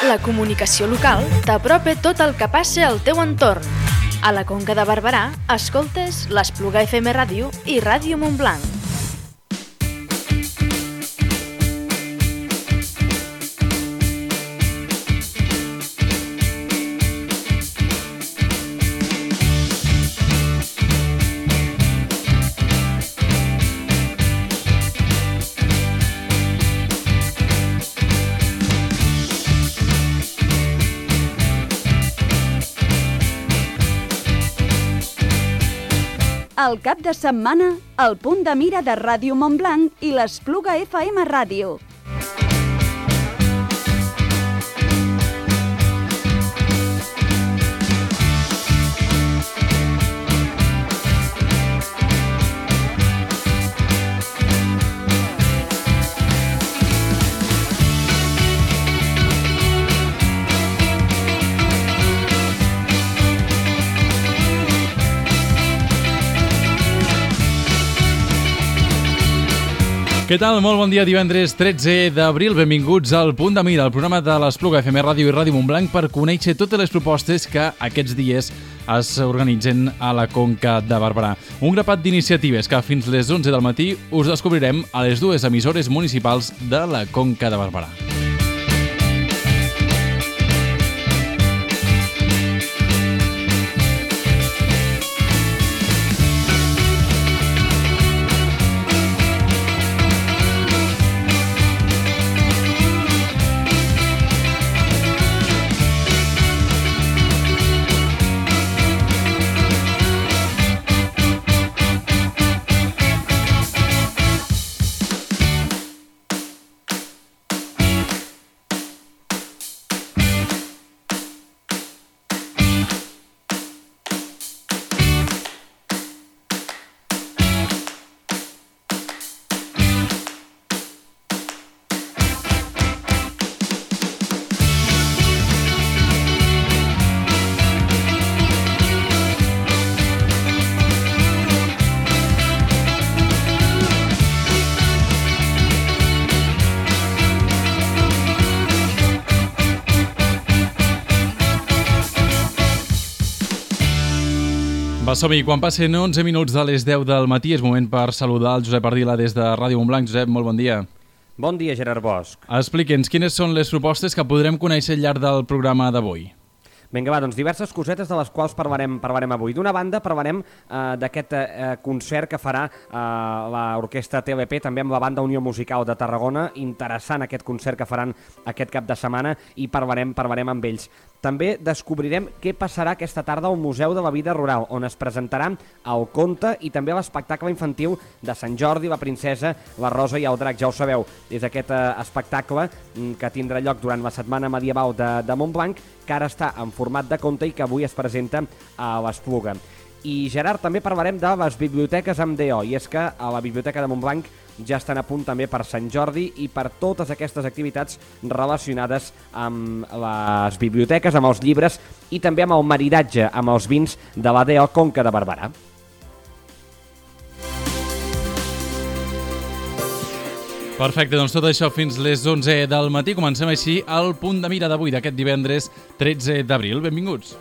La comunicació local t'apropa tot el que passa al teu entorn. A la Conca de Barberà, escoltes l'Espluga FM Ràdio i Ràdio Montblanc. El cap de setmana, el punt de mira de Ràdio Montblanc i l'Espluga FM Ràdio. Què tal? Molt bon dia, divendres 13 d'abril. Benvinguts al Punt de Mira, el programa de l'Espluga FM Ràdio i Ràdio Montblanc per conèixer totes les propostes que aquests dies es organitzen a la Conca de Barberà. Un grapat d'iniciatives que fins les 11 del matí us descobrirem a les dues emissores municipals de la Conca de Barberà. Som-hi, quan passen 11 minuts de les 10 del matí és moment per saludar el Josep Ardila des de Ràdio Montblanc. Josep, molt bon dia. Bon dia, Gerard Bosch. Explique'ns quines són les propostes que podrem conèixer al llarg del programa d'avui. Vinga, va, doncs diverses cosetes de les quals parlarem avui. D'una banda, parlarem d'aquest concert que farà l'Orquestra TLP, també amb la Banda Unió Musical de Tarragona. Interessant aquest concert que faran aquest cap de setmana i parlarem amb ells. També descobrirem què passarà aquesta tarda al Museu de la Vida Rural, on es presentarà el conte i també l'espectacle infantil de Sant Jordi, la princesa, la rosa i el drac. Ja ho sabeu, és aquest espectacle que tindrà lloc durant la setmana medieval de Montblanc, que ara està en format de conte i que avui es presenta a l'Espluga. I, Gerard, també parlarem de les biblioteques amb DO, i és que a la Biblioteca de Montblanc ja estan a punt també per Sant Jordi i per totes aquestes activitats relacionades amb les biblioteques, amb els llibres i també amb el maridatge amb els vins de la DO Conca de Barberà. Perfecte, doncs tot això fins les 11 del matí. Comencem així el punt de mira d'avui, d'aquest divendres 13 d'abril. Benvinguts.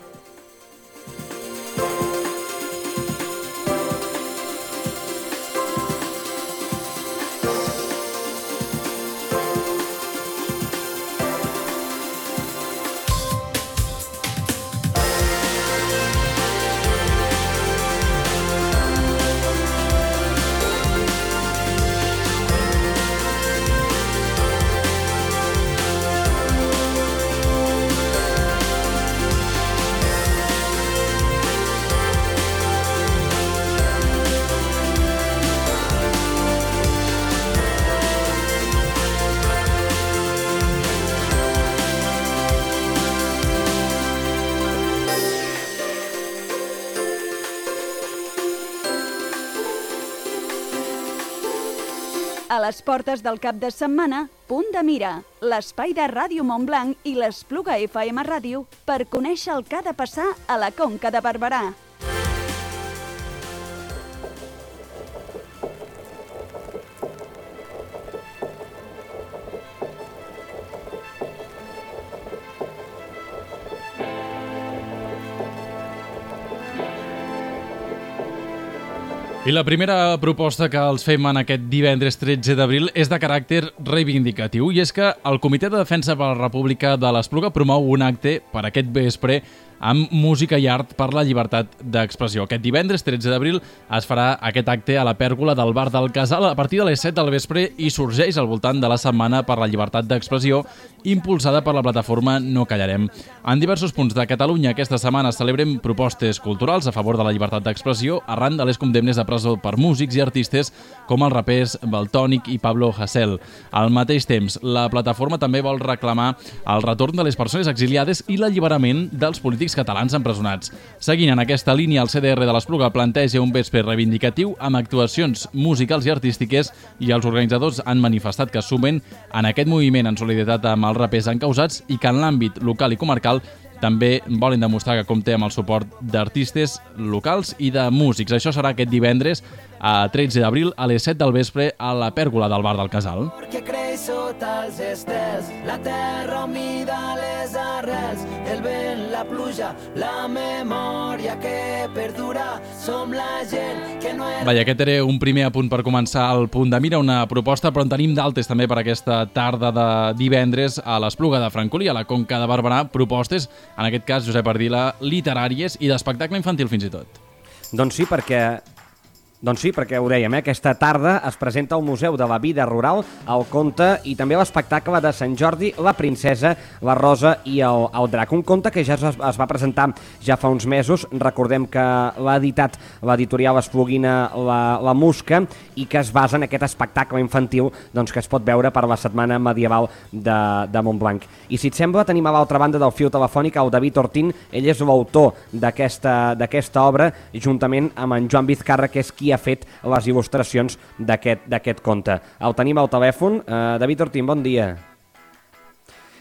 A les portes del cap de setmana, Punt de Mira, l'espai de Ràdio Montblanc i l'Espluga FM Ràdio per conèixer el que ha de passar a la Conca de Barberà. I la primera proposta que els fem en aquest divendres 13 d'abril és de caràcter reivindicatiu, i és que el Comitè de Defensa per la República de l'Espluga promou un acte per aquest vespre amb música i art per la llibertat d'expressió. Aquest divendres 13 d'abril es farà aquest acte a la pèrgola del Bar del Casal a partir de les 7 del vespre i sorgeix al voltant de la Setmana per la Llibertat d'Expressió impulsada per la plataforma No Callarem. En diversos punts de Catalunya aquesta setmana celebrem propostes culturals a favor de la llibertat d'expressió arran de les condemnes a presó per músics i artistes com els rapers Valtònic i Pablo Hasél. Al mateix temps, la plataforma també vol reclamar el retorn de les persones exiliades i l'alliberament dels polítics catalans empresonats. Seguint en aquesta línia, el CDR de l'Espluga planteja un vespre reivindicatiu amb actuacions musicals i artístiques, i els organitzadors han manifestat que es sumen en aquest moviment en solidaritat amb els rapers encausats i que en l'àmbit local i comarcal també volen demostrar que compta amb el suport d'artistes locals i de músics. Això serà aquest divendres a 13 d'abril a les 7 del vespre a la pèrgola del Bar del Casal. Que creix sota els estels, la terra humida, les arrels, el vent, la pluja, la memòria que perdura, som la gent que no és... Vaja, aquest era un primer apunt per començar el Punt de Mira, una proposta, però en tenim d'altres també per aquesta tarda de divendres a l'Espluga de Francolí, a la Conca de Barberà, propostes, en aquest cas, Josep Ardila, literàries i d'espectacle infantil fins i tot. Doncs sí, perquè ho dèiem, aquesta tarda es presenta al Museu de la Vida Rural el conte i també l'espectacle de Sant Jordi, la princesa, la rosa i el drac. Un conte que ja es va presentar ja fa uns mesos, recordem que l'ha editat l'editorial espluguina la Musca i que es basa en aquest espectacle infantil doncs, que es pot veure per la Setmana Medieval de Montblanc. I si et sembla, tenim a l'altra banda del fil telefònic el David Ortín, ell és l'autor d'aquesta obra, juntament amb en Joan Vizcarra, que és qui ha fet les il·lustracions d'aquest conte. El tenim al telèfon. David Ortín, bon dia.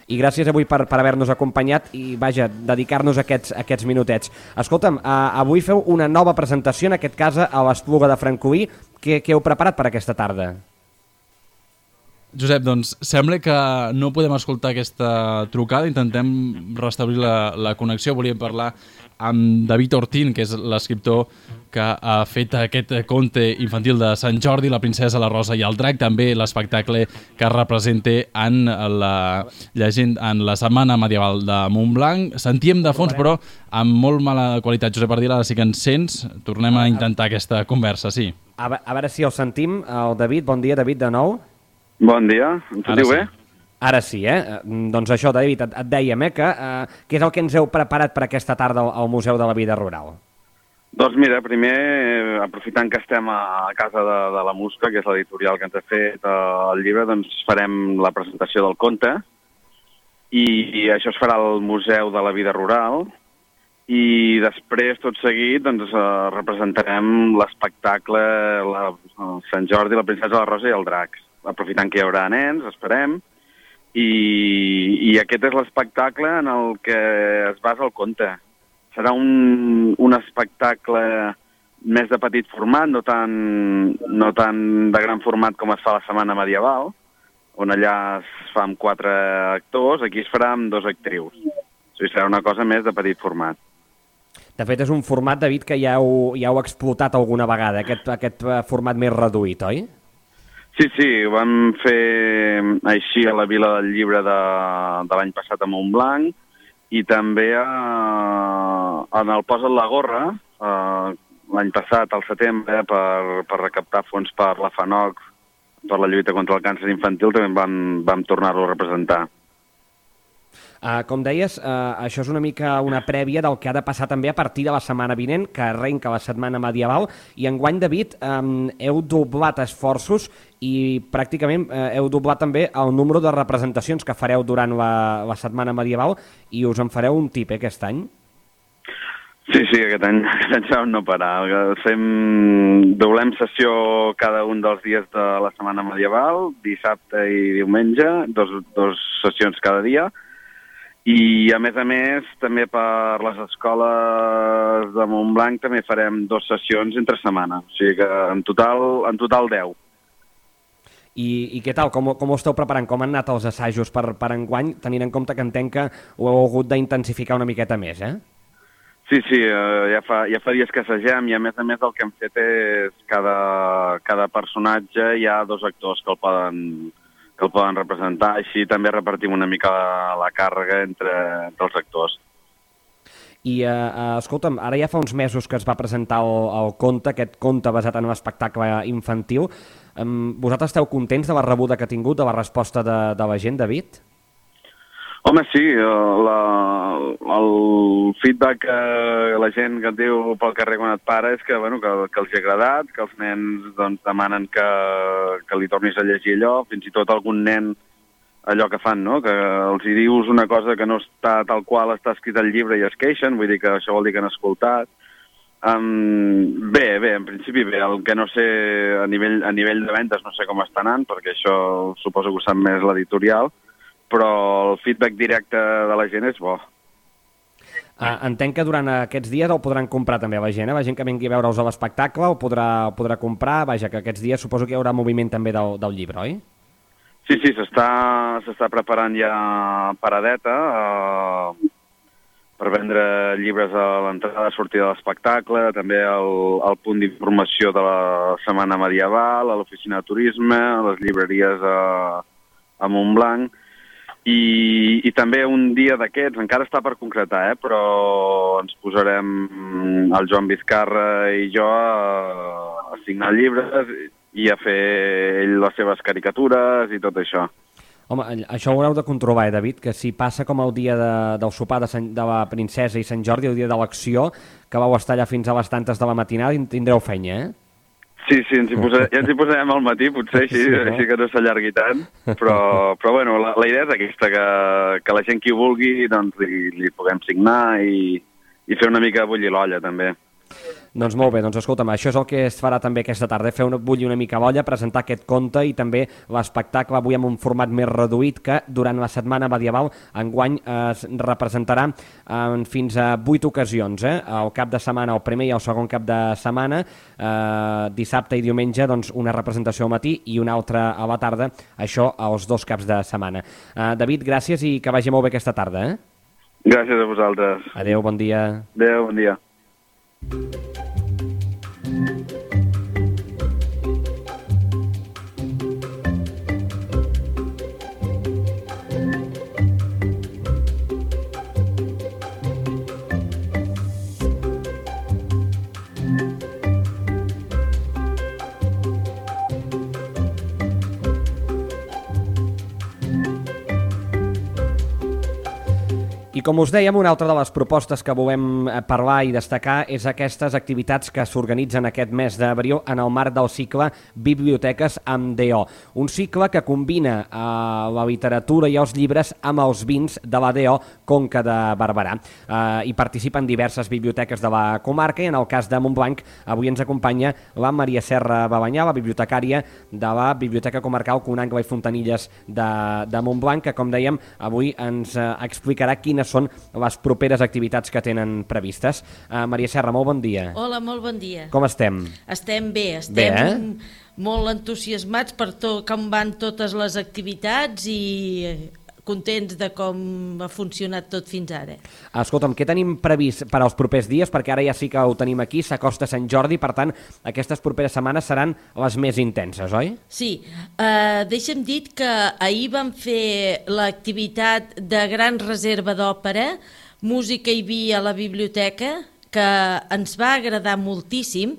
I gràcies avui per haver-nos acompanyat i, vaja, dedicar-nos aquests minutets. Escolta'm, avui feu una nova presentació, en aquest cas a l'Espluga de Francolí. Què heu preparat per aquesta tarda? Josep, doncs sembla que no podem escoltar aquesta trucada, intentem restablir la connexió. Volíem parlar amb David Ortín, que és l'escriptor que ha fet aquest conte infantil de Sant Jordi, la princesa, la rosa i el drac, també l'espectacle que representa en la Setmana Medieval de Montblanc. Sentíem de fons, però amb molt mala qualitat. Josep Ardila, ara sí que ens sents. Tornem a intentar aquesta conversa, sí. A veure si el sentim. El David, bon dia, David, de nou. Bon dia, em sentiu bé? Ara sí, Doncs això, David, et dèiem, que què és el que ens heu preparat per aquesta tarda al Museu de la Vida Rural? Doncs mira, primer, aprofitant que estem a casa de la Musca, que és l'editorial que ens ha fet el llibre, doncs farem la presentació del conte, i això es farà al Museu de la Vida Rural, i després, tot seguit, doncs representarem l'espectacle Sant Jordi, la princesa, la rosa i el drac. Aprofitant que hi haurà nens, esperem, i aquest és l'espectacle en el que es basa el conte. Serà un espectacle més de petit format, no tan de gran format com es fa a la Setmana Medieval, on allà es fa amb 4 actors, aquí es farà amb 2 actrius. O sigui, serà una cosa més de petit format. De fet, és un format, David, que ja heu explotat alguna vegada, aquest format més reduït, oi? Sí, ho vam fer així a la Vila del Llibre de l'any passat a Montblanc i també en el Posa't la gorra, l'any passat, al setembre, per recaptar fons per la FANOC, per la lluita contra el càncer infantil, també vam tornar-lo a representar. Com deies, això és una mica una prèvia del que ha de passar també a partir de la setmana vinent, que arrenca la Setmana Medieval, i enguany, David, heu doblat esforços i pràcticament heu doblat també el número de representacions que fareu durant la Setmana Medieval, i us en fareu un tip, aquest any? Sí, aquest any ja no parar. Doblem sessió cada un dels dies de la Setmana Medieval, dissabte i diumenge, dos sessions cada dia, i a més, també per les escoles de Montblanc també farem 2 sessions entre setmana, o sigui que en total 10. I què tal? Com ho esteu preparant? Com han anat els assajos per enguany, tenint en compte que entenc que ho heu hagut d'intensificar una miqueta més, Sí, ja fa dies que assagem i a més el que hem fet és cada personatge hi ha 2 actors que el poden representar, així també repartim una mica la càrrega entre els actors. I, escolta'm, ara ja fa uns mesos que es va presentar el conte, aquest conte basat en un espectacle infantil. Vosaltres esteu contents de la rebuda que ha tingut, de la resposta de la gent, David? Home, sí, el feedback que la gent que et diu pel carrer quan et para és que els ha agradat, que els nens demanen que li tornis a llegir allò, fins i tot algun nen allò que fan, no? Que els hi dius una cosa que no està tal qual està escrit al llibre i es queixen, vull dir que això vol dir que han escoltat. Bé, en principi bé, el que no sé a nivell de vendes no sé com està anant, perquè això suposo que ho sap més l'editorial, però el feedback directe de la gent és bo. Entenc que durant aquests dies el podran comprar també la gent, la gent que vingui a veure'ls a l'espectacle el podrà comprar, vaja, que aquests dies suposo que hi haurà moviment també del llibre, oi? Sí, s'està preparant ja paradeta per vendre llibres a l'entrada i sortida de l'espectacle, també el punt d'informació de la Setmana Medieval, a l'oficina de turisme, a les llibreries a Montblanc, i també un dia d'aquests, encara està per concretar, però ens posarem el Joan Vizcarra i jo a signar llibres i a fer ell les seves caricatures i tot això. Home, això ho haureu de comprovar, David, que si passa com el dia del sopar de la princesa i Sant Jordi, el dia de l'acció, que vau estar allà fins a les tantes de la matinada, tindreu feina, Sí, ja ens hi posarem al matí, potser així que no s'allargui tant, però bueno, la idea és aquesta, que la gent qui ho vulgui doncs li puguem signar i fer una mica bullir l'olla, també. Doncs molt bé, doncs escolta'm, això és el que es farà també aquesta tarda, fer bullir una mica l'olla, presentar aquest conte i també l'espectacle avui en un format més reduït que durant la Setmana Medieval enguany es representarà en fins a 8 ocasions, el cap de setmana, el primer i el segon cap de setmana, dissabte i diumenge, doncs una representació al matí i una altra a la tarda, això els 2 caps de setmana. David, gràcies i que vagi molt bé aquesta tarda. Gràcies a vosaltres. Adéu, bon dia. Adéu, bon dia. I com us dèiem, una altra de les propostes que volem parlar i destacar és aquestes activitats que s'organitzen aquest mes d'abril en el marc del cicle Biblioteques amb DO. Un cicle que combina la literatura i els llibres amb els vins de la DO Conca de Barberà. Hi participen diverses biblioteques de la comarca i en el cas de Montblanc avui ens acompanya la Maria Serra Babanyà, la bibliotecària de la Biblioteca Comarcal Conangle i Fontanilles de Montblanc, que com dèiem avui ens explicarà quines són les properes activitats que tenen previstes. Maria Serra, molt bon dia. Hola, molt bon dia. Com estem? Estem bé, estem molt entusiasmats per com van totes les activitats i contents de com ha funcionat tot fins ara. Escolta'm, què tenim previst per als propers dies? Perquè ara ja sí que ho tenim aquí, s'acosta Sant Jordi, per tant, aquestes properes setmanes seran les més intenses, oi? Sí, deixa'm dir que ahir vam fer l'activitat de gran reserva d'òpera, música i vi a la biblioteca, que ens va agradar moltíssim,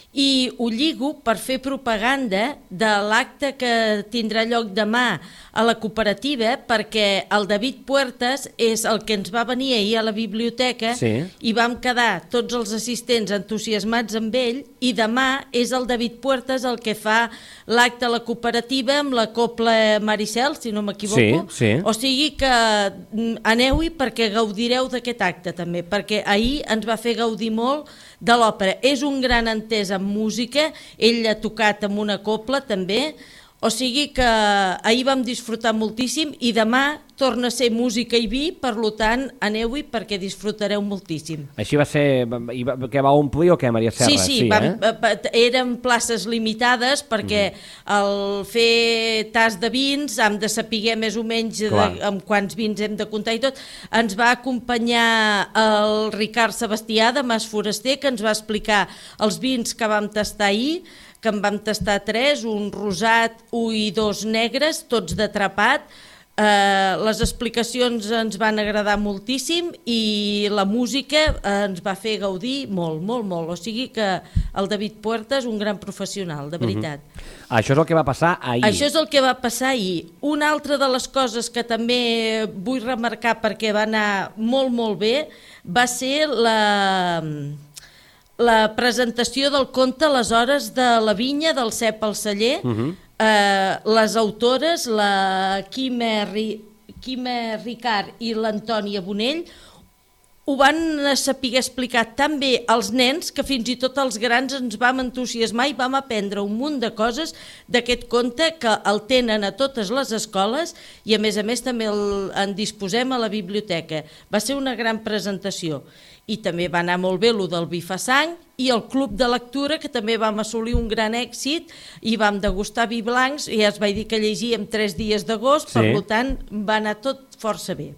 i ho lligo per fer propaganda de l'acte que tindrà lloc demà a la cooperativa, perquè el David Puertas és el que ens va venir ahir a la biblioteca i vam quedar tots els assistents entusiasmats amb ell, i demà és el David Puertas el que fa l'acte a la cooperativa amb la Copla Maricel, si no m'equivoco. O sigui que aneu-hi perquè gaudireu d'aquest acte també, perquè ahir ens va fer gaudir molt de l'òpera. És un gran entès en música, ell ha tocat amb una copla també, O sigui que ahir vam disfrutar moltíssim i demà torna a ser música i vi, per tant, aneu-hi perquè disfrutareu moltíssim. Així va ser... Que va omplir o què, Maria Serra? Sí, eren places limitades perquè al fer tas de vins hem de saber més o menys amb quants vins hem de comptar i tot. Ens va acompanyar el Ricard Sebastià de Mas Foraster, que ens va explicar els vins que vam tastar ahir, que en vam tastar 3, un rosat, 1 i 2 negres, tots d'atrapat. Les explicacions ens van agradar moltíssim i la música ens va fer gaudir molt, molt, molt. O sigui que el David Puerta és un gran professional, de veritat. Això és el que va passar ahir. Això és el que va passar ahir. Una altra de les coses que també vull remarcar perquè va anar molt, molt bé va ser la presentació del conte Les hores de la vinya del Cep al celler. Les autores, la Quima Ricard i l'Antònia Bonell, ho van saber explicar tan bé als nens que fins i tot els grans ens vam entusiasmar i vam aprendre un munt de coses d'aquest conte que el tenen a totes les escoles i a més també en disposem a la biblioteca. Va ser una gran presentació. I també va anar molt bé el del vi fa sang i el club de lectura, que també vam assolir un gran èxit i vam degustar vi blancs, i ja es vaig dir que llegíem 3 dies d'agost, per tant va anar tot força bé.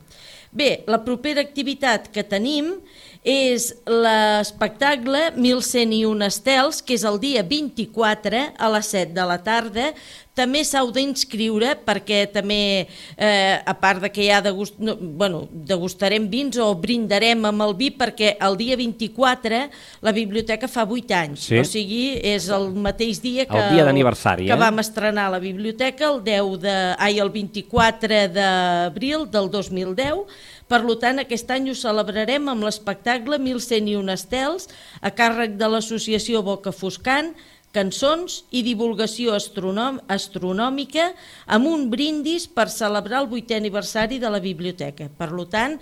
Bé, la propera activitat que tenim és l'espectacle 1101 estels, que és el dia 24 a les 7 de la tarda. També s'heu d'inscriure perquè també, a part de que ja degustarem vins o brindarem amb el vi, perquè el dia 24 la biblioteca fa 8 anys, o sigui, és el mateix dia que el dia d'aniversari, que vam estrenar la biblioteca, el 24 d'abril del 2010. Per tant, aquest any ho celebrarem amb l'espectacle 1101 estels, a càrrec de l'associació Boca Foscant, cançons i divulgació astronòmica amb un brindis per celebrar el 8è aniversari de la biblioteca. Per tant,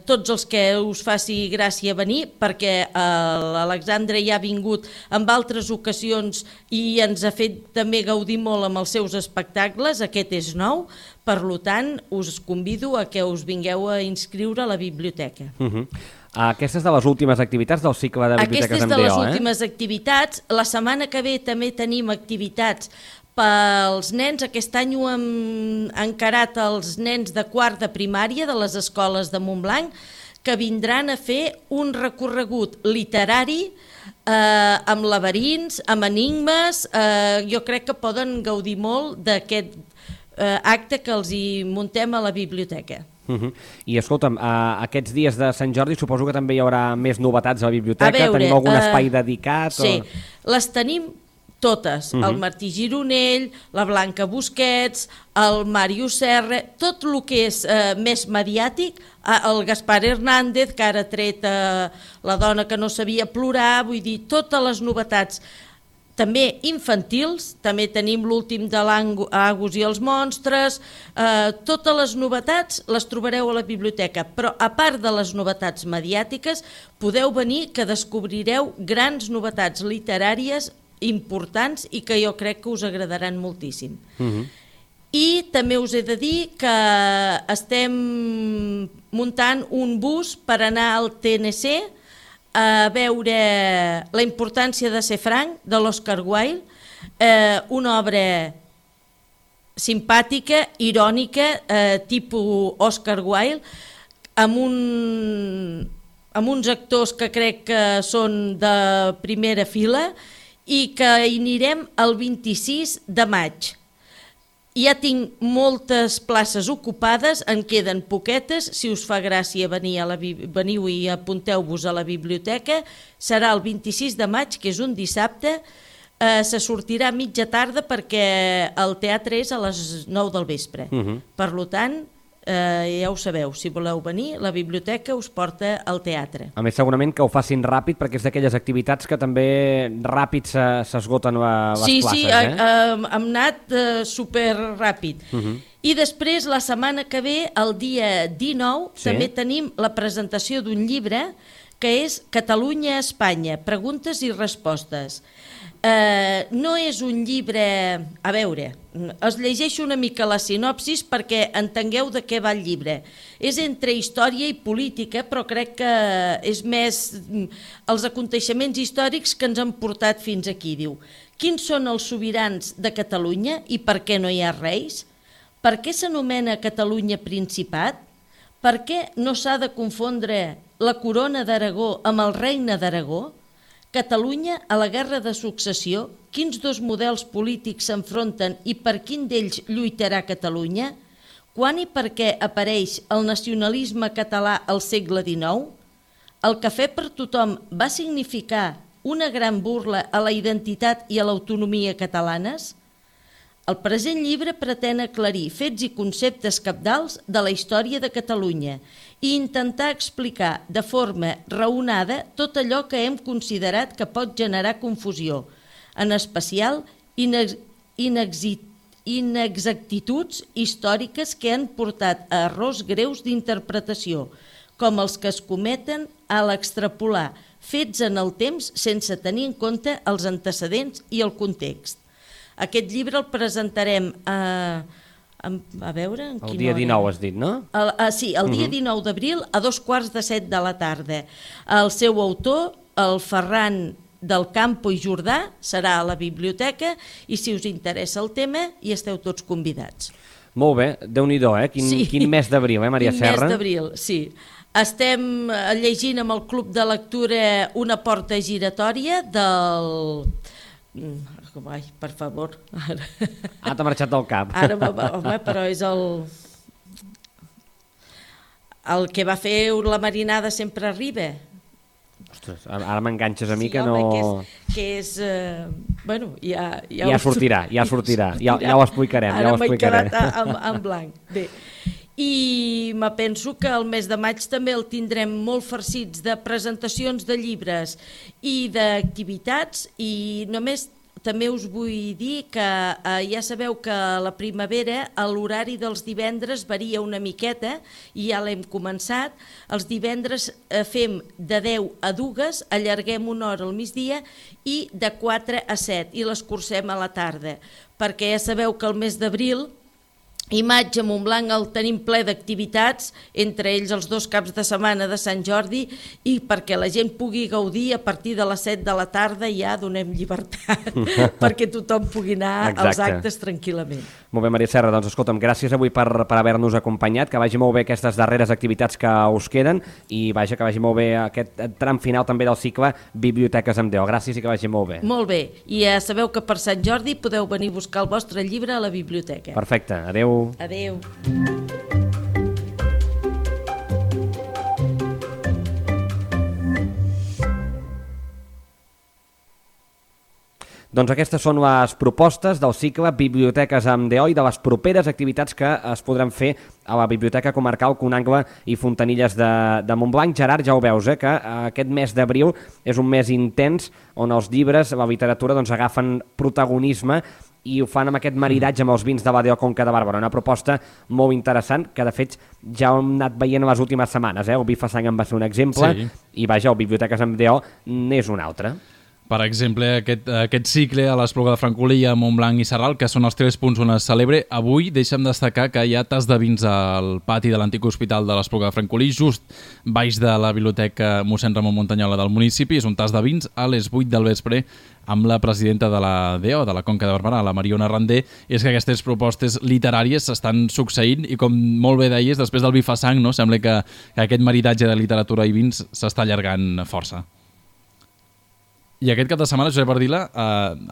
tots els que us faci gràcia venir, perquè l'Alexandre ja ha vingut en altres ocasions i ens ha fet també gaudir molt amb els seus espectacles, aquest és nou, per tant, us convido a que us vingueu a inscriure a la biblioteca. Aquesta és de les últimes activitats del cicle de biblioteques amb DO, Aquesta és de les últimes activitats. La setmana que ve també tenim activitats pels nens. Aquest any ho hem encarat els nens de quart de primària de les escoles de Montblanc, que vindran a fer un recorregut literari amb laberints, amb enigmes. Jo crec que poden gaudir molt d'aquest acte que els hi muntem a la biblioteca. I escolta'm, aquests dies de Sant Jordi suposo que també hi haurà més novetats a la biblioteca. Tenim algun espai dedicat? Sí, les tenim totes, el Martí Gironell, la Blanca Busquets, el Màrius Serra, tot el que és més mediàtic, el Gaspar Hernández, que ara ha tret La dona que no sabia plorar, vull dir, totes les novetats, també infantils, també tenim l'últim de l'Agus i els monstres, totes les novetats les trobareu a la biblioteca, però a part de les novetats mediàtiques, podeu venir que descobrireu grans novetats literàries importants i que jo crec que us agradaran moltíssim. I també us he de dir que estem muntant un bus per anar al TNC a veure La importància de ser franc, de l'Oscar Wilde, una obra simpàtica, irònica, tipus Oscar Wilde, amb uns actors que crec que són de primera fila i que hi anirem el 26 de maig. Ja tinc moltes places ocupades, en queden poquetes, si us fa gràcia veniu i apunteu-vos a la biblioteca, serà el 26 de maig, que és un dissabte, se sortirà a mitja tarda perquè el teatre és a les 9 del vespre. Per tant, ja ho sabeu, si voleu venir, la biblioteca us porta al teatre. A més, segurament que ho facin ràpid, perquè és d'aquelles activitats que també ràpid s'esgoten les places. Sí, hem anat superràpid. I després, la setmana que ve, el dia 19, també tenim la presentació d'un llibre que és Catalunya, Espanya, preguntes i respostes. No és un llibre... A veure, es llegeixo una mica la sinopsis perquè entengueu de què va el llibre. És entre història i política, però crec que és més els aconteixements històrics que ens han portat fins aquí. Diu, quins són els sobirans de Catalunya i per què no hi ha reis? Per què s'anomena Catalunya Principat? Per què no s'ha de confondre la corona d'Aragó amb el regne d'Aragó? Catalunya, a la guerra de successió, quins dos models polítics s'enfronten i per quin d'ells lluitarà Catalunya? Quan i per què apareix el nacionalisme català al segle XIX? El cafè per tothom va significar una gran burla a la identitat i a l'autonomia catalanes? El present llibre pretén aclarir fets i conceptes cabdals de la història de Catalunya i intentar explicar de forma raonada tot allò que hem considerat que pot generar confusió, en especial inexactituds històriques que han portat a errors greus d'interpretació, com els que es cometen a l'extrapolar fets en el temps sense tenir en compte els antecedents i el context. Aquest llibre el presentarem a veure... El dia 19 has dit, no? Sí, el dia 19 d'abril a 2:45 de la tarda. El seu autor, el Ferran del Campo i Jordà, serà a la biblioteca i si us interessa el tema hi esteu tots convidats. Molt bé, Déu-n'hi-do, Quin mes d'abril, Maria Serra? Quin mes d'abril, sí. Estem llegint amb el Club de Lectura Una porta giratòria del... Ai, per favor. T'ha marxat del cap. Ara, home, però és el que va fer la marinada sempre arriba. Ostres, ara m'enganxes a mi que no... Que és... Bueno, ja sortirà, ja ho explicarem. Ara m'he quedat en blanc. Bé, i me penso que el mes de maig també el tindrem molt farcits de presentacions de llibres i d'activitats i només també us vull dir que ja sabeu que a la primavera l'horari dels divendres varia una miqueta i ja l'hem començat. Els divendres fem de 10 a 2, allarguem una hora al migdia i de 4 a 7 i l'escurcem a la tarda, perquè ja sabeu que el mes d'abril i maig a Montblanc el tenim ple d'activitats, entre ells els 2 caps de setmana de Sant Jordi i perquè la gent pugui gaudir a partir de les 7 de la tarda ja donem llibertat perquè tothom pugui anar als actes tranquil·lament. Molt bé, Maria Serra, doncs escolta'm, gràcies avui per haver-nos acompanyat, que vagi molt bé aquestes darreres activitats que us queden i vaja, que vagi molt bé aquest tram final també del cicle Biblioteques amb Déu. Gràcies i que vagi molt bé. Molt bé, i ja sabeu que per Sant Jordi podeu venir a buscar el vostre llibre a la biblioteca. Perfecte, adeu. Adeu. Doncs aquestes són les propostes del cicle Biblioteques amb DO i de les properes activitats que es podran fer a la Biblioteca Comarcal Conangle i Fontanilles de Montblanc. Gerard, ja ho veus, que aquest mes d'abril és un mes intens on els llibres, la literatura, doncs, agafen protagonisme i ho fan amb aquest maridatge amb els vins de la DO Conca de Barberà. Una proposta molt interessant que, de fet, ja hem anat veient en les últimes setmanes. El vi fa sang en va ser un exemple i, vaja, el Biblioteques amb DO n'és un altre. Per exemple, aquest cicle a l'Espluga de Francolí, a Montblanc i Sarral, que són els 3 punts on es celebra. Avui deixem destacar que hi ha tas de vins al pati de l'antic hospital de l'Espluga de Francolí, just baix de la biblioteca mossèn Ramon Montanyola del municipi. És un tas de vins a les 8 del vespre amb la presidenta de la DO, de la Conca de Barberà, la Mariona Randé. És que aquestes propostes literàries s'estan succeint i, com molt bé deies, després del vi fa sang, no? Sembla que aquest maridatge de literatura i vins s'està allargant força. I aquest cap de setmana, Josep Ardila,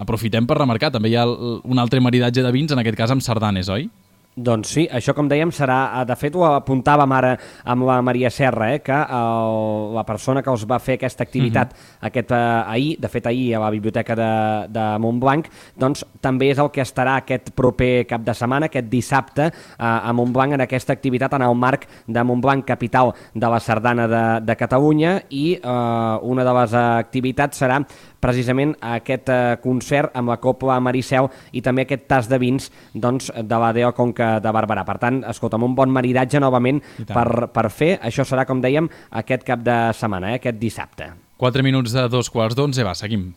aprofitem per remarcar, també hi ha un altre maridatge de vins, en aquest cas amb sardanes, oi? Doncs sí, això com dèiem serà, de fet ho apuntàvem ara amb la Maria Serra, que la persona que us va fer aquesta activitat ahir, de fet ahir a la Biblioteca de Montblanc, doncs també és el que estarà aquest proper cap de setmana, aquest dissabte a Montblanc en aquesta activitat en el marc de Montblanc, capital de la sardana de Catalunya, i una de les activitats serà precisament aquest concert amb la Copla Maricel i també aquest tas de vins de la DO Conca Conca de Barberà. Per tant, escolta, amb un bon maridatge novament per fer, això serà, com dèiem, aquest cap de setmana, aquest dissabte. 4 minuts de 2:15, va, seguim.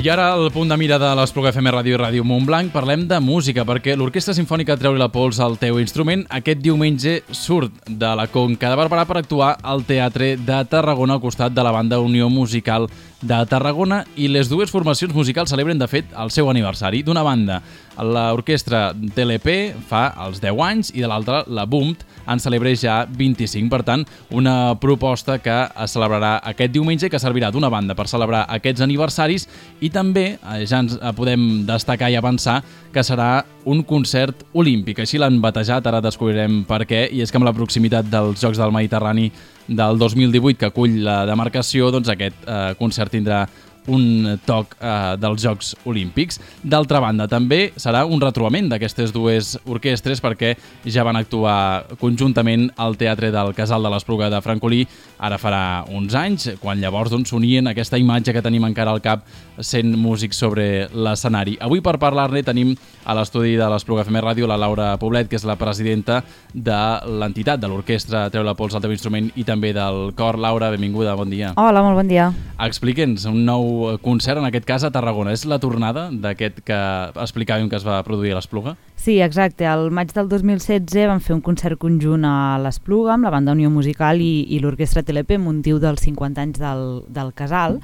I ara, al punt de mira de l'Espluga FM Ràdio i Ràdio Montblanc, parlem de música, perquè l'Orquestra Simfònica Treu-li la pols al teu instrument aquest diumenge surt de la Conca de Barberà per actuar al Teatre de Tarragona al costat de la banda Unió Musical de Tarragona, i les dues formacions musicals celebren, de fet, el seu aniversari. D'una banda, l'orquestra TLP fa els 10 anys i de l'altra, la BUMT, en celebra ja 25. Per tant, una proposta que es celebrarà aquest diumenge, que servirà d'una banda per celebrar aquests aniversaris, i també ja ens podem destacar i avançar que serà un concert olímpic. Així l'han batejat, ara descobrirem per què, i és que amb la proximitat dels Jocs del Mediterrani del 2018 que acull la demarcació, doncs aquest concert tindrà un toc dels Jocs Olímpics. D'altra banda, també serà un retrobament d'aquestes dues orquestres, perquè ja van actuar conjuntament al Teatre del Casal de l'Espluga de Francolí ara farà uns anys, quan llavors s'unien aquesta imatge que tenim encara al cap sent músics sobre l'escenari. Avui, per parlar-ne, tenim a l'estudi de l'Espluga FM Ràdio la Laura Poblet, que és la presidenta de l'entitat de l'orquestra Treu la pols al teu instrument i també del cor. Laura, benvinguda, bon dia. Hola, molt bon dia. Explique'ns un nou concert, en aquest cas a Tarragona. És la tornada d'aquest que explicàvem que es va produir a l'Espluga? Sí, exacte. Al maig del 2016 vam fer un concert conjunt a l'Espluga amb la banda Unió Musical i l'orquestra TLP amb motiu dels 50 anys del Casal,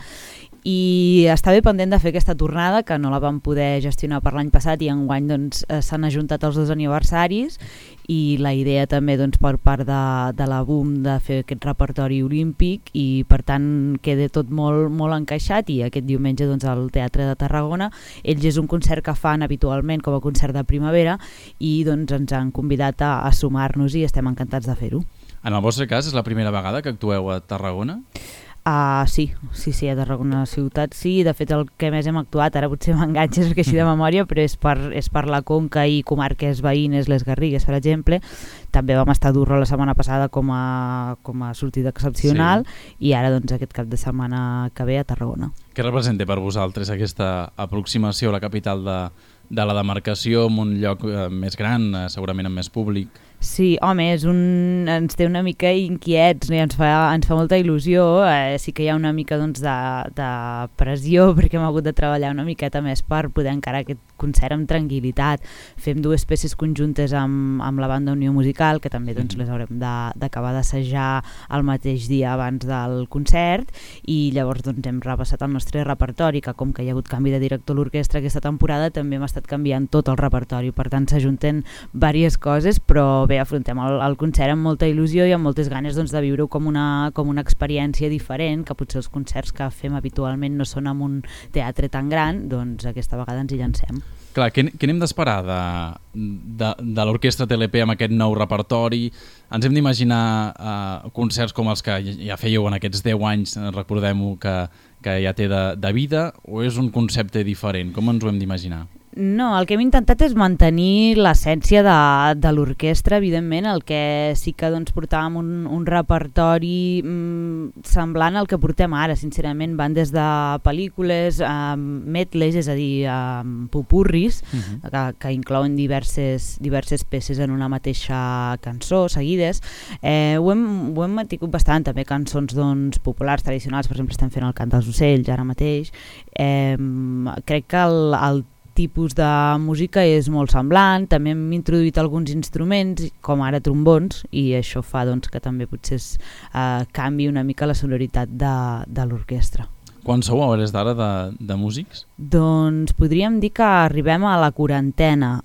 i està bé pendent de fer aquesta tornada, que no la vam poder gestionar per l'any passat, i enguany s'han ajuntat els dos aniversaris, i la idea també per part de la BUM de fer aquest repertori olímpic, i per tant queda tot molt, molt encaixat. I aquest diumenge al Teatre de Tarragona ells és un concert que fan habitualment com a concert de primavera, i ens han convidat a sumar-nos i estem encantats de fer-ho. En el vostre cas és la primera vegada que actueu a Tarragona? Sí, a Tarragona ciutat sí. De fet, el que més hem actuat, ara potser m'enganxes perquè així de memòria, però és per la Conca i comarques veïnes, les Garrigues, per exemple. També vam estar a Durro la setmana passada com a sortida excepcional, i ara aquest cap de setmana que ve a Tarragona. Què representa per vosaltres aquesta aproximació a la capital de la demarcació, en un lloc més gran, segurament amb més públic? Sí, home, ens té una mica inquiets, no? Ens fa molta il·lusió. Sí que hi ha una mica de pressió, perquè hem hagut de treballar una miqueta més per poder encarar aquest concert amb tranquil·litat. Fem dues peces conjuntes amb la banda Unió Musical, que també les haurem d'acabar d'assajar el mateix dia abans del concert, i llavors hem repassat el nostre repertori, que com que hi ha hagut canvi de director a l'orquestra aquesta temporada, també hem estat canviant tot el repertori. Per tant, s'ajunten diverses coses, però bé, afrontem el concert amb molta il·lusió i amb moltes ganes de viure-ho com una experiència diferent, que potser els concerts que fem habitualment no són en un teatre tan gran, doncs aquesta vegada ens hi llancem. Clar, què n'hem d'esperar de l'orquestra TLP amb aquest nou repertori? Ens hem d'imaginar concerts com els que ja fèieu en aquests 10 anys, recordem-ho, que ja té de vida, o és un concepte diferent? Com ens ho hem d'imaginar? No, el que hem intentat és mantenir l'essència de l'orquestra, evidentment. El que sí que portàvem un repertori semblant al que portem ara, sincerament. Van des de pel·lícules, medleys, és a dir, popurris, que inclouen diverses peces en una mateixa cançó, seguides. Ho hem mantingut bastant, també cançons populars, tradicionals. Per exemple, estem fent el Cant dels ocells ara mateix. Crec que el tipus de música és molt semblant. També hem introduït alguns instruments, com ara trombons, i això fa que també potser canvi una mica la sonoritat de l'orquestra. Quan sou a hores d'ara de músics? Doncs podríem dir que arribem a la 40,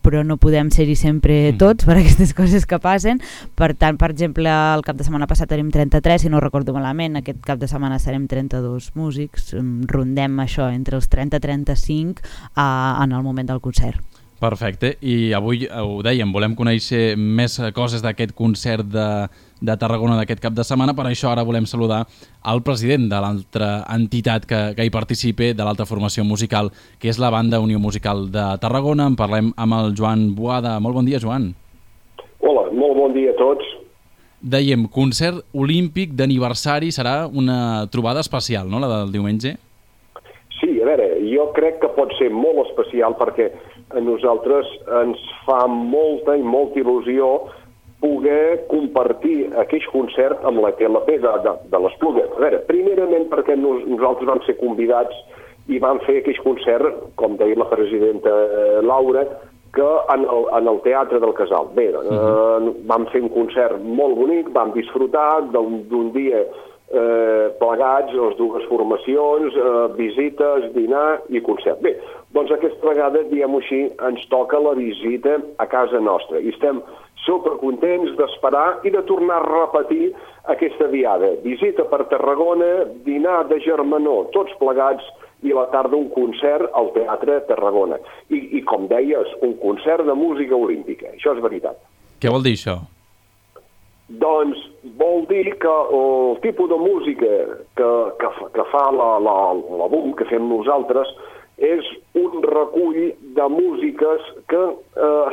però no podem ser-hi sempre tots per aquestes coses que passen. Per tant, per exemple, el cap de setmana passat érem 33, si no recordo malament. Aquest cap de setmana serem 32 músics. Rondem això entre els 30 i 35 en el moment del concert. Perfecte, i avui ho dèiem, volem conèixer més coses d'aquest concert de Tarragona d'aquest cap de setmana. Per això ara volem saludar el president de l'altra entitat que hi participa, de l'altra formació musical, que és la banda Unió Musical de Tarragona. En parlem amb el Joan Boada. Molt bon dia, Joan. Hola, molt bon dia a tots. Dèiem, concert olímpic d'aniversari, serà una trobada especial, no?, la del diumenge? Sí, a veure, jo crec que pot ser molt especial perquè a nosaltres ens fa molta i molta il·lusió poder compartir aquell concert amb la TLP de l'Espluga. A veure, primerament perquè nosaltres vam ser convidats i vam fer aquell concert, com deia la presidenta Laura, que en el Teatre del Casal. Bé, vam fer un concert molt bonic, vam disfrutar d'un dia plegats, les dues formacions, visites, dinar i concert. Bé, doncs aquesta vegada, diguem-ho així, ens toca la visita a casa nostra i estem supercontents d'esperar i de tornar a repetir aquesta diada. Visita per Tarragona, dinar de germanor, tots plegats, i a la tarda un concert al Teatre Tarragona. I com deies, un concert de música olímpica. Això és veritat. Què vol dir això? Doncs vol dir que el tipus de música que fa la BUM, que fem nosaltres, és un recull de músiques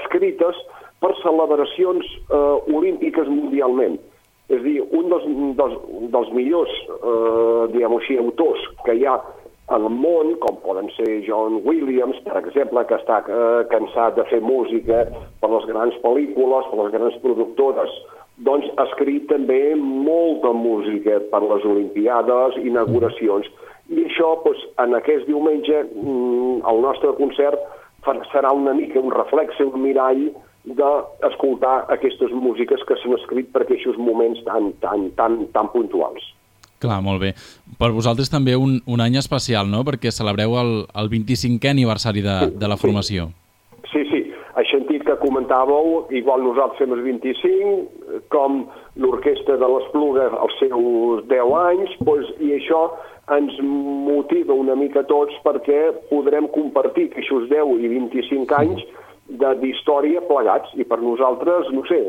escrites per celebracions olímpiques mundialment. És a dir, un dels millors, diguem-ho així, autors que hi ha al món, com poden ser John Williams, per exemple, que està cansat de fer música per les grans pel·lícules, per les grans productores, doncs ha escrit també molta música per les Olimpiades, inauguracions. I això, en aquest diumenge, el nostre concert serà una mica un reflex, un mirall d'escoltar aquestes músiques que s'han escrit per aquests moments tan puntuals. Clar, molt bé. Per vosaltres també un any especial, no?, perquè celebreu el 25è aniversari de la formació. Sí. He sentit que comentàveu, igual nosaltres fem els 25, com l'orquestra de l'Espluga els seus 10 anys, i això ens motiva una mica a tots perquè podrem compartir aquests 10 i 25 anys d'història plegats, i per nosaltres, no sé,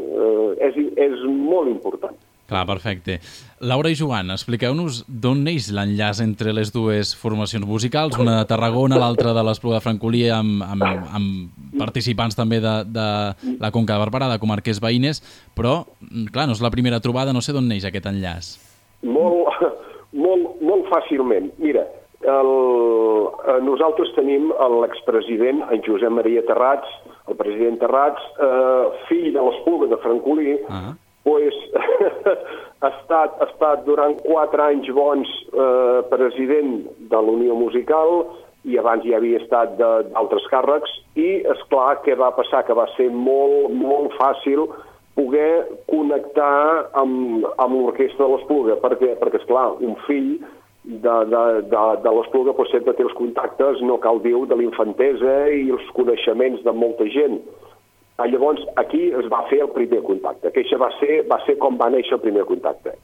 és molt important. Clar, perfecte. Laura i Joan, expliqueu-nos d'on neix l'enllaç entre les dues formacions musicals, una de Tarragona, l'altra de l'Espluga de Francolí, amb participants també de la Conca de Barberà, de comarques veïnes, però, clar, no és la primera trobada, no sé d'on neix aquest enllaç. Molt fàcilment. Mira, nosaltres tenim l'expresident, en Josep Maria Terrats, el president Terrats, fill de l'Espluga de Francolí, ha estat durant 4 anys bons president de la Unió Musical i abans ja havia estat d'altres càrrecs i, esclar, què va passar? Que va ser molt fàcil poder connectar amb l'orquestra de l'Espluga, perquè esclar, un fill de l'Espluga sempre té els contactes, no cal dir, de l'infantesa i els coneixements de molta gent. Llavors, aquí es va fer el primer contacte, que això va ser com va néixer el primer contacte.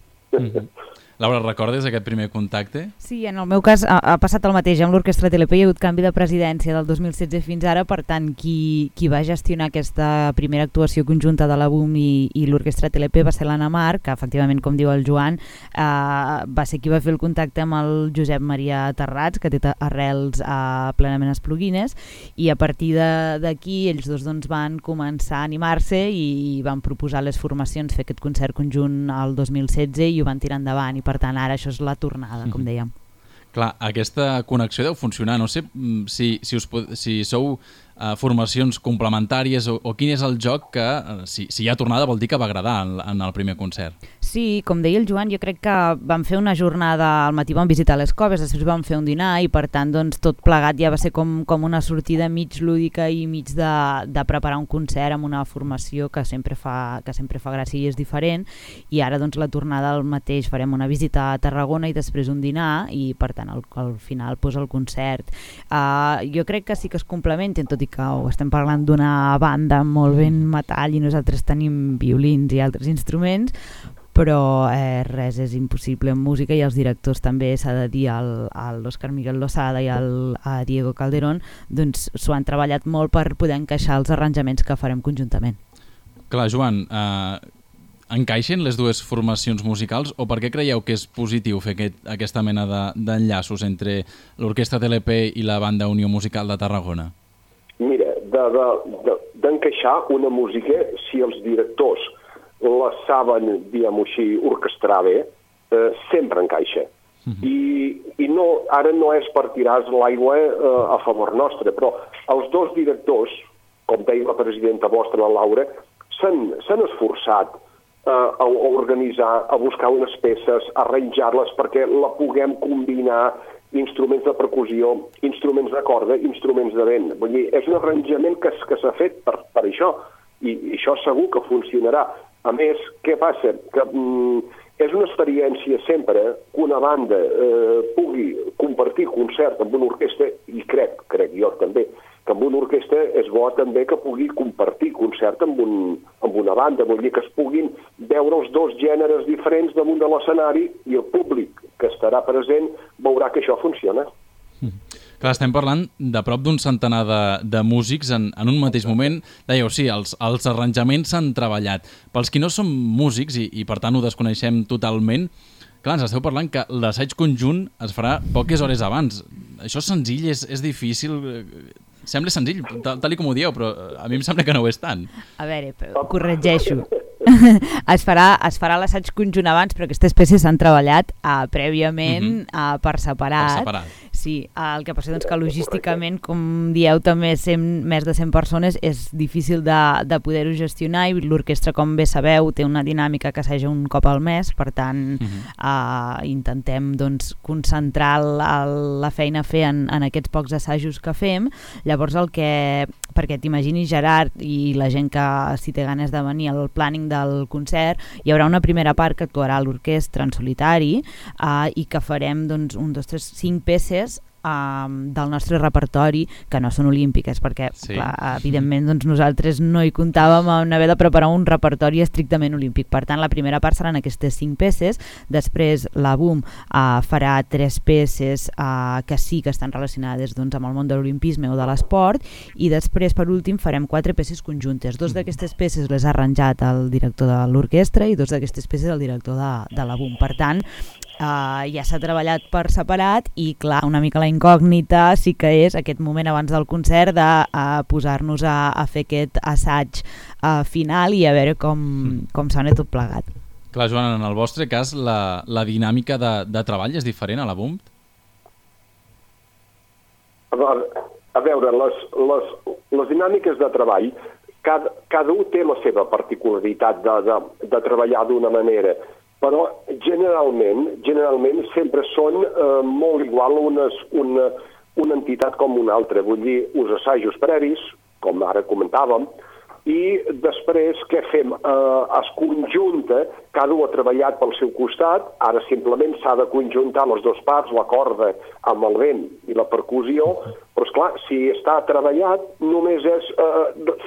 Laura, recordes aquest primer contacte? Sí, en el meu cas ha passat el mateix. Amb l'Orquestra TLP hi ha hagut canvi de presidència del 2016 fins ara, per tant, qui va gestionar aquesta primera actuació conjunta de la BUM i l'Orquestra TLP va ser l'Anna Mar, que efectivament, com diu el Joan, va ser qui va fer el contacte amb el Josep Maria Terrats, que té arrels plenament espluguines, i a partir d'aquí ells dos van començar a animar-se i van proposar les formacions fer aquest concert conjunt el 2016 i ho van tirar endavant, i per tant ara això és la tornada, com dèiem. Clar, aquesta connexió deu funcionar. No sé si sou formacions complementàries o quin és el joc que, si hi ha tornada, vol dir que va agradar en el primer concert. Sí, com deia el Joan, jo crec que vam fer una jornada al matí, vam visitar les coves, després vam fer un dinar i per tant tot plegat ja va ser com una sortida mig lúdica i mig de preparar un concert amb una formació que sempre fa gràcia i és diferent, i ara la tornada al mateix, farem una visita a Tarragona i després un dinar i per tant al final el concert. Jo crec que sí que es complementen, tot i que estem parlant d'una banda molt ben metall i nosaltres tenim violins i altres instruments, però res és impossible en música, i els directors també, s'ha de dir, l'Òscar Miguel Losada i a Diego Calderón, doncs s'ho han treballat molt per poder encaixar els arranjaments que farem conjuntament. Clar, Joan, encaixen les dues formacions musicals o per què creieu que és positiu fer aquesta mena d'enllaços entre l'Orquestra TLP i la Banda Unió Musical de Tarragona? Mira, d'encaixar una música, si els directors la saben, diguem-ho així, orquestrar bé, sempre encaixa. I no, ara no és per tirar l'aigua a favor nostre, però els dos directors, com deia la presidenta vostra, la Laura, s'han esforçat a organitzar, a buscar unes peces, a arranjar-les perquè la puguem combinar, instruments de percussió, instruments de corda, instruments de vent. Vull dir, és un arranjament que s'ha fet per això, i això segur que funcionarà. A més, què passa? Que és una experiència sempre que una banda pugui compartir concert amb una orquestra, i crec jo també, que amb una orquestra és bo també que pugui compartir concert amb una banda, vull dir que es puguin veure els dos gèneres diferents damunt de l'escenari i el públic que estarà present veurà que això funciona. Clar, estem parlant de prop d'un centenar de músics en un mateix moment. Dèieu, sí, els arranjaments s'han treballat. Pels qui no som músics i per tant ho desconeixem totalment, clar, ens esteu parlant que l'assaig conjunt es farà poques hores abans. Això és senzill, és difícil? Sembla senzill, tal com ho dieu, però a mi em sembla que no ho és tant. A veure, corregeixo. Es farà l'assaig conjunt abans, però aquestes peces s'han treballat prèviament per separat. Per separat. Sí, el que passa doncs, que logísticament, com dieu, també més de 100 persones és difícil de poder-ho gestionar i l'orquestra, com bé sabeu, té una dinàmica que assaja un cop al mes, per tant intentem doncs, concentrar la feina a fer en aquests pocs assajos que fem. Llavors perquè t'imagini Gerard i la gent que si té ganes de venir al planning del concert, hi haurà una primera part que actuarà l'orquestra en solitari i que farem doncs, 1, 2, 3, 5 peces del nostre repertori que no són olímpiques, perquè clar, evidentment doncs, nosaltres no hi comptàvem en haver de preparar un repertori estrictament olímpic. Per tant, la primera part seran aquestes 5 peces, després la BUM farà 3 peces que sí que estan relacionades doncs, amb el món de l'olimpisme o de l'esport, i després per últim farem 4 peces conjuntes. 2 d'aquestes peces les ha arranjat el director de l'orquestra i 2 d'aquestes peces el director de la BUM. Per tant, ja s'ha treballat per separat i clar, una mica la incògnita sí que és aquest moment abans del concert de posar-nos a fer aquest assaig final i a veure com sona tot plegat. Clar, Joan, en el vostre cas la dinàmica de treball és diferent a la BUM? A veure, les dinàmiques de treball, cada un té la seva particularitat de treballar d'una manera, però generalment sempre són molt igual una entitat com una altra. Vull dir, uns assajos previs, com ara comentàvem, i després què fem? Es conjunta, cada un ha treballat pel seu costat, ara simplement s'ha de conjuntar les dues parts, la corda amb el vent i la percussió, però esclar, si està treballat només és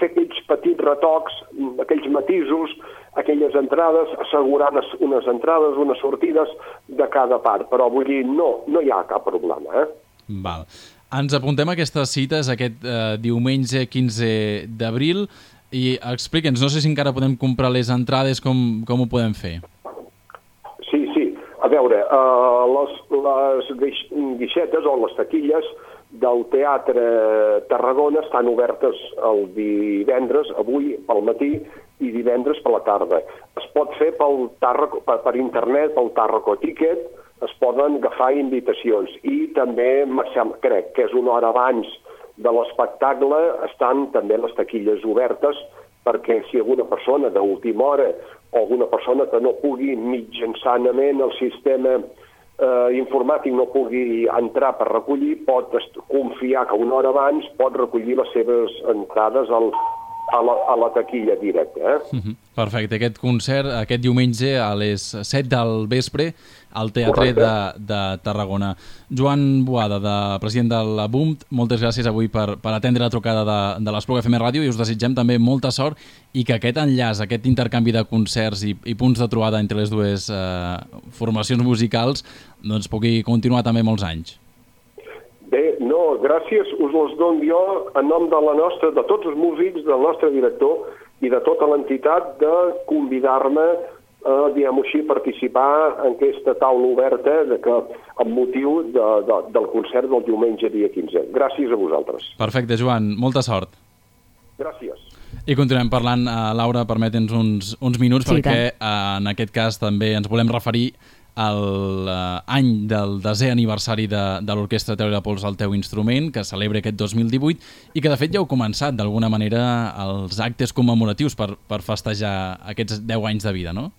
fer aquells petits retocs, aquells matisos, aquelles entrades, assegurant unes entrades, unes sortides de cada part, però vull dir, no hi ha cap problema. Val. Ens apuntem a aquestes cites aquest diumenge 15 d'abril i explica'ns, no sé si encara podem comprar les entrades, com ho podem fer? Sí. A veure, les guixetes o les taquilles del Teatre Tarragona estan obertes el divendres, avui pel matí, i divendres per la tarda. Es pot fer per internet, pel Tarraco Ticket, es poden agafar invitacions i també, crec que és una hora abans de l'espectacle, estan també les taquilles obertes perquè si alguna persona d'última hora o alguna persona que no pugui mitjançament el sistema informàtic no pugui entrar per recollir, pot confiar que una hora abans pot recollir les seves entrades a la taquilla directa. Perfecte. Aquest concert, aquest diumenge a les 7 del vespre al Teatre de Tarragona. Joan Boada, president de la BUM, moltes gràcies avui per atendre la trucada de l'Espluga FM Ràdio i us desitgem també molta sort i que aquest enllaç, aquest intercanvi de concerts i punts de trobada entre les dues formacions musicals doncs pugui continuar també molts anys. Bé, no, gràcies us les dono jo en nom de tots els músics, del nostre director i de tota l'entitat de convidar-me diguem-ho així, participar en aquesta taula oberta amb motiu del concert del diumenge dia 15. Gràcies a vosaltres. Perfecte, Joan. Molta sort. Gràcies. I continuem parlant, Laura, permetens uns minuts, perquè en aquest cas també ens volem referir a l'any del 10è aniversari de l'Orquestra Teo i Pols al teu instrument, que celebra aquest 2018 i que de fet ja heu començat d'alguna manera els actes commemoratius per festejar aquests 10 anys de vida, no?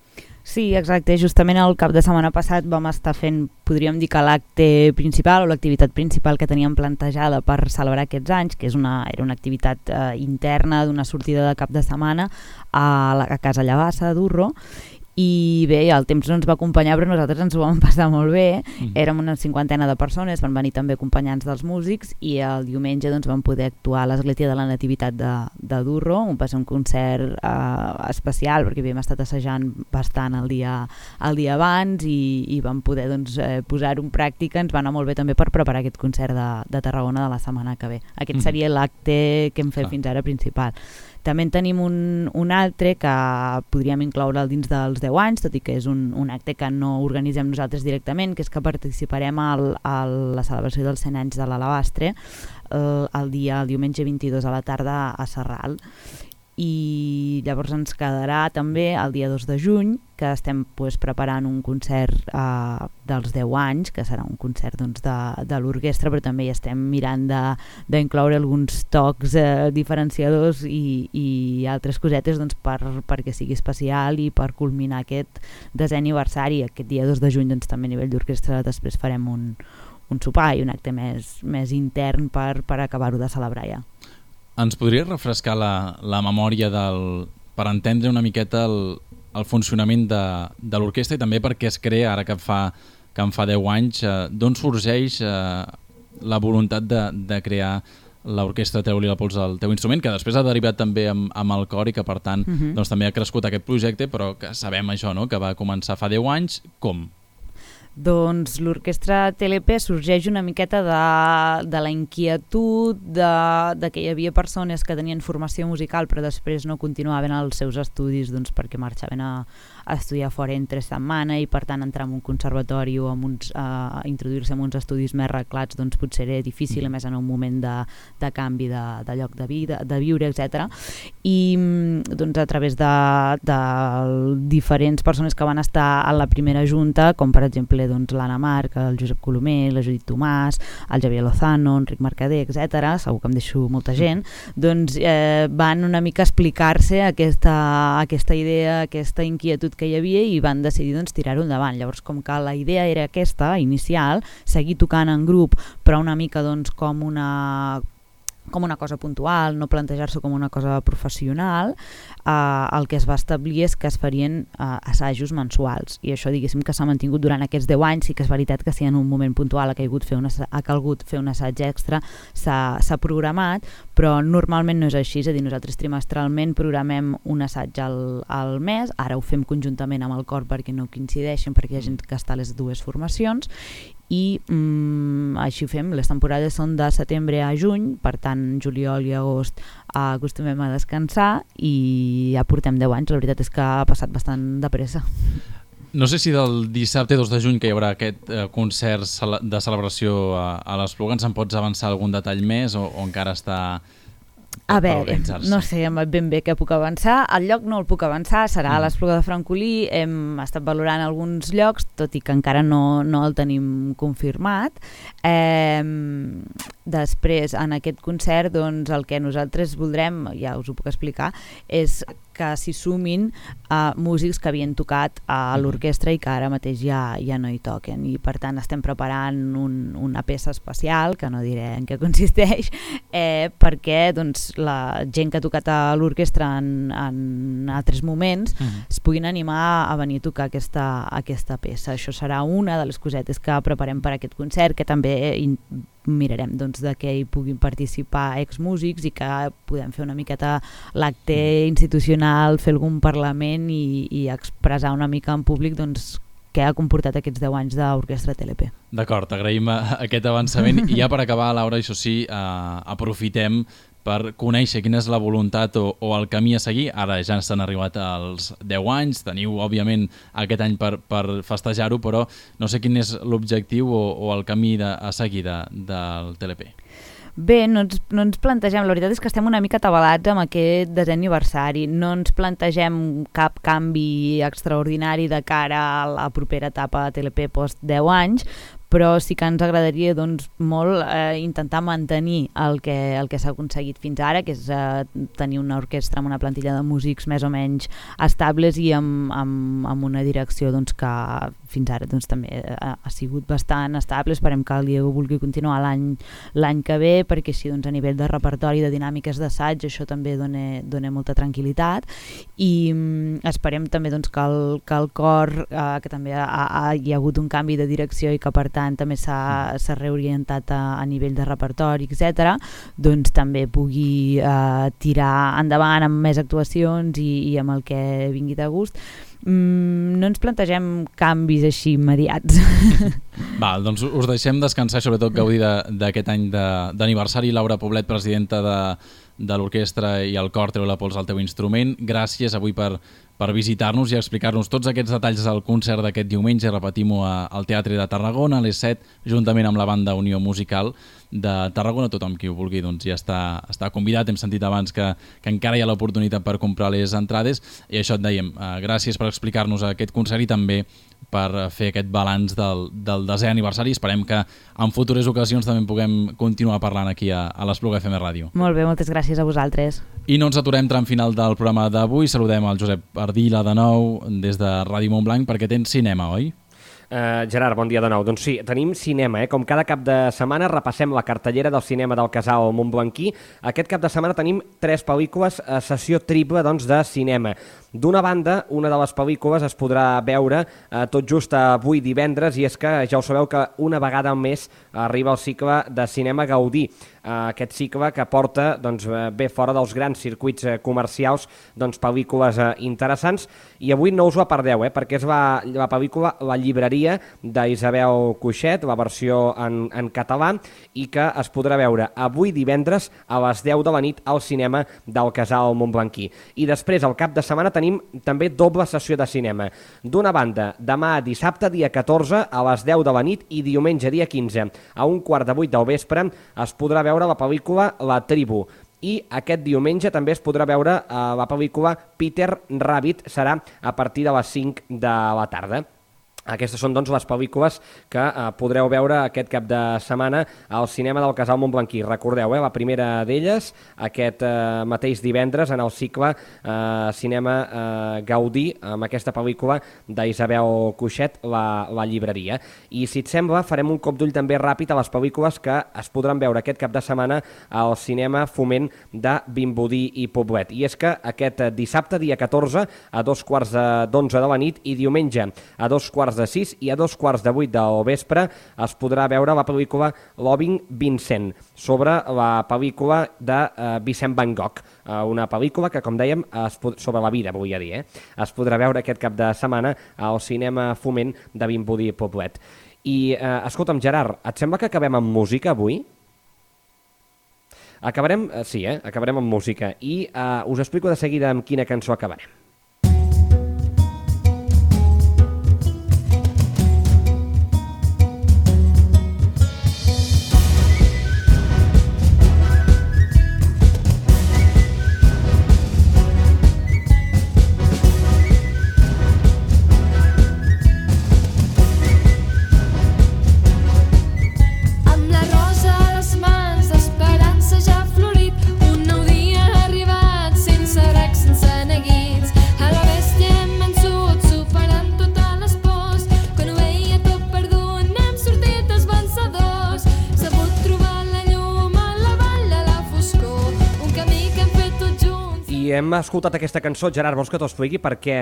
Sí, exacte. Justament el cap de setmana passat vam estar fent, podríem dir que l'acte principal o l'activitat principal que teníem plantejada per celebrar aquests anys, que era una activitat interna d'una sortida de cap de setmana a Casa Llavassa, a Durro, i bé, el temps no ens va acompanyar, però nosaltres ens ho vam passar molt bé. Érem una 50ena de persones, van venir també acompanyants dels músics, i el diumenge doncs, vam poder actuar a l'Església de la Nativitat de Durro. Va ser un concert especial, perquè havíem estat assajant bastant el dia abans i vam poder doncs, posar-ho en pràctica. Ens va anar molt bé també per preparar aquest concert de Tarragona de la setmana que ve. Aquest seria l'acte que hem fet fins ara principal. També en tenim un altre que podríem incloure'l dins dels 10 anys, tot i que és un acte que no organitzem nosaltres directament, que és que participarem a la celebració dels 100 anys de l'Alabastre el diumenge 22 a la tarda a Sarral. I llavors ens quedarà també el dia 2 de juny, que estem preparant un concert dels 10 anys, que serà un concert doncs, de l'orquestra, però també hi estem mirant d'incloure alguns tocs diferenciadors i altres cosetes doncs, perquè sigui especial i per culminar aquest 10è aniversari. Aquest dia 2 de juny doncs, també a nivell d'orquestra després farem un sopar i un acte més intern per acabar-ho de celebrar ja. Ens podries refrescar la memòria per entendre una miqueta el funcionament de l'orquestra i també perquè es crea, ara que en fa 10 anys, d'on sorgeix la voluntat de crear l'Orquestra Teo i Pols al teu instrument, que després ha derivat també amb el cor i que per tant doncs, també ha crescut aquest projecte, però que sabem això, no? Que va començar fa 10 anys. Com? Doncs l'Orquestra TLP sorgeix una miqueta de la inquietud de que hi havia persones que tenien formació musical però després no continuaven els seus estudis doncs, perquè marxaven a estudiar fora entre setmana i per tant entrar en un conservatori o introduir-se en uns estudis més reglats doncs, potser era difícil, a més en un moment de canvi de lloc de vida, de viure, etc. I doncs, a través de diferents persones que van estar a la primera junta, com per exemple doncs, l'Anna Marc, el Josep Colomer, la Judit Tomàs, el Javier Lozano, Enric Mercader, etc. Segur que em deixo molta gent, doncs van una mica explicar-se aquesta idea, aquesta inquietud que hi havia i van decidir doncs, tirar-ho endavant. Llavors, com que la idea era aquesta, inicial, seguir tocant en grup, però una mica doncs, com una cosa puntual, no plantejar-se com una cosa professional, el que es va establir és que es farien assajos mensuals i això diguéssim que s'ha mantingut durant aquests 10 anys. Sí que és veritat que si en un moment puntual ha calgut fer un assaig extra s'ha programat, però normalment no és així, és a dir, nosaltres trimestralment programem un assaig al mes, ara ho fem conjuntament amb el cor perquè no coincideixen, perquè hi ha gent que està a les dues formacions i així ho fem. Les temporades són de setembre a juny, per tant juliol i agost acostumem a descansar i ja portem 10 anys. La veritat és que ha passat bastant de pressa. No sé si del dissabte 2 de juny que hi haurà aquest concert de celebració a l'Espluga ens en pots avançar algun detall més o encara està a veure, no sé ben bé què puc avançar. El lloc no el puc avançar, serà a l'Espluga de Francolí. Hem estat valorant alguns llocs, tot i que encara no el tenim confirmat. Després, en aquest concert, doncs, el que nosaltres voldrem, ja us ho puc explicar, és que s'hi sumin músics que havien tocat a l'orquestra i que ara mateix ja no hi toquen. I per tant estem preparant una peça especial, que no diré en què consisteix, perquè doncs, la gent que ha tocat a l'orquestra en altres moments es puguin animar a venir a tocar aquesta peça. Això serà una de les cosetes que preparem per aquest concert, que també mirarem doncs, de què hi puguin participar exmúsics i que podem fer una miqueta l'acte institucional, fer algun parlament i expressar una mica en públic doncs, què ha comportat aquests 10 anys d'Orquestra TLP. D'acord, agraïm aquest avançament i ja per acabar, Laura, això sí, aprofitem per conèixer quina és la voluntat o el camí a seguir. Ara ja s'han arribat als 10 anys, teniu òbviament aquest any per festejar-ho, però no sé quin és l'objectiu o el camí a seguir del TLP. Bé, no ens plantegem, la veritat és que estem una mica atabalats amb aquest 10è aniversari, no ens plantegem cap canvi extraordinari de cara a la propera etapa de TLP post 10 anys, però sí que ens agradaria doncs, molt intentar mantenir el que s'ha aconseguit fins ara, que és tenir una orquestra amb una plantilla de músics més o menys estables i amb una direcció doncs, que fins ara doncs, també ha sigut bastant estable. Esperem que el Diego vulgui continuar l'any que ve, perquè així doncs, a nivell de repertori, de dinàmiques d'assaig, això també dona molta tranquil·litat, i esperem també doncs, que el cor, que també hi ha hagut un canvi de direcció i que per tant també s'ha reorientat a nivell de repertori, etc., doncs també pugui tirar endavant amb més actuacions i amb el que vingui de gust. No ens plantegem canvis així immediats. Val, doncs us deixem descansar, sobretot gaudir d'aquest any d'aniversari. Laura Poblet, presidenta de l'orquestra i el cor, treu la pols al teu instrument. Gràcies avui per visitar-nos i explicar-nos tots aquests detalls del concert d'aquest diumenge. Repetim-ho al Teatre de Tarragona a les 7, juntament amb la banda Unió Musical de Tarragona. Tothom qui ho vulgui doncs, ja està convidat. Hem sentit abans que encara hi ha l'oportunitat per comprar les entrades, i això et dèiem, gràcies per explicar-nos aquest concert i també per fer aquest balanç del 10è aniversari. Esperem que en futures ocasions també puguem continuar parlant aquí a l'Espluga FM Ràdio. Molt bé, moltes gràcies a vosaltres. I no ens aturem tram final del programa d'avui. Saludem el Josep Ardila de nou des de Ràdio Montblanc, perquè tens cinema, oi? Gerard, bon dia de nou. Doncs sí, tenim cinema, Com cada cap de setmana repassem la cartellera del cinema del Casal Montblanquí. Aquest cap de setmana tenim 3 pel·lícules a sessió triple de cinema. D'una banda, una de les pel·lícules es podrà veure tot just avui divendres, i és que ja ho sabeu que una vegada al mes arriba el cicle de cinema Gaudí. Aquest cicle que porta bé fora dels grans circuits comercials pel·lícules interessants, i avui no us la perdeu, perquè és la pel·lícula La llibreria d'Isabel Cuixet, la versió en català, i que es podrà veure avui divendres a les 10 de la nit al cinema del Casal Montblanquí. I després, al cap de setmana, tenim també doble sessió de cinema. D'una banda, demà dissabte, dia 14, a les 10 de la nit, i diumenge, dia 15, a 7:15 del vespre, es podrà veure la pel·lícula La tribu. I aquest diumenge també es podrà veure la pel·lícula Peter Rabbit, serà a partir de les 5 de la tarda. Aquestes són doncs, les pel·lícules que podreu veure aquest cap de setmana al cinema del Casal Montblanquí. Recordeu, la primera d'elles, aquest mateix divendres, en el cicle Cinema Gaudí, amb aquesta pel·lícula d'Isabel Cuixet, la llibreria. I si et sembla, farem un cop d'ull també ràpid a les pel·lícules que es podran veure aquest cap de setmana al cinema Foment de Vimbodí i Poblet. I és que aquest dissabte, dia 14, a 7:15 de la nit, i diumenge a 7:45 i a 7:45 del vespre es podrà veure la pel·lícula Loving Vincent, sobre la pel·lícula de Vicent Van Gogh, una pel·lícula que, com dèiem, sobre la vida, volia dir, es podrà veure aquest cap de setmana al cinema Foment de Vimbodí i Poblet. I, escolta'm, Gerard, et sembla que acabem amb música avui? Acabarem, sí, acabarem amb música, i us explico de seguida amb quina cançó acabarem. Hem escoltat aquesta cançó. Gerard, vols que t'ho expliqui per què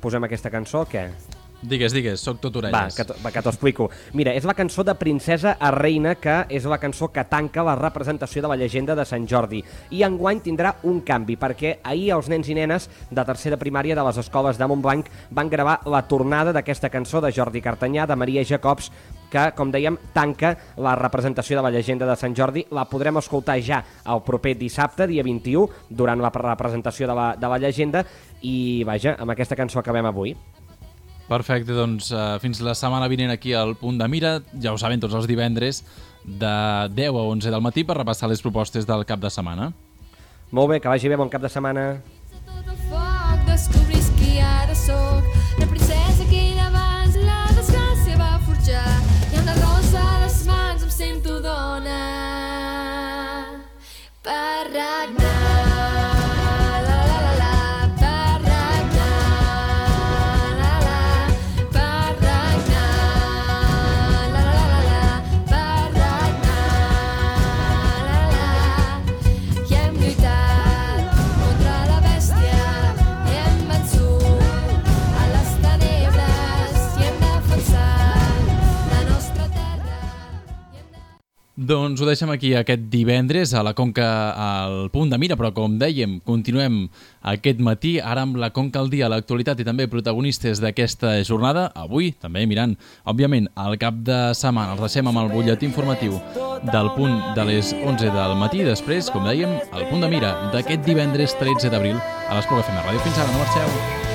posem aquesta cançó o què? Digues, soc tot orelles. Va, que t'ho explico. Mira, és la cançó de Princesa a Reina, que és la cançó que tanca la representació de la llegenda de Sant Jordi. I enguany tindrà un canvi, perquè ahir els nens i nenes de tercer de primària de les escoles de Montblanc van gravar la tornada d'aquesta cançó de Jordi Cartanyà, de Maria Jacobs, que, com dèiem, tanca la representació de la llegenda de Sant Jordi. La podrem escoltar ja el proper dissabte, dia 21, durant la representació de la llegenda, i vaja, amb aquesta cançó acabem avui. Perfecte, doncs fins la setmana vinent aquí al Punt de Mira. Ja ho saben, tots els divendres de 10 a 11 del matí per repassar les propostes del cap de setmana. Molt bé, que vagi bé, bon cap de setmana. Descobris qui ara soc, la princesa que abans la desgràcia va forjar, i amb la rosa a les mans em sento dona per regnar. Doncs ho deixem aquí aquest divendres a la Conca al Punt de Mira, però com dèiem, continuem aquest matí, ara amb la Conca al dia, l'actualitat i també protagonistes d'aquesta jornada. Avui també mirant, òbviament, al cap de setmana. Els deixem amb el butlletí informatiu del punt de les 11 del matí. Després, com dèiem, al Punt de Mira d'aquest divendres 13 d'abril a l'Espluga FM Ràdio. Fins ara, no marxeu.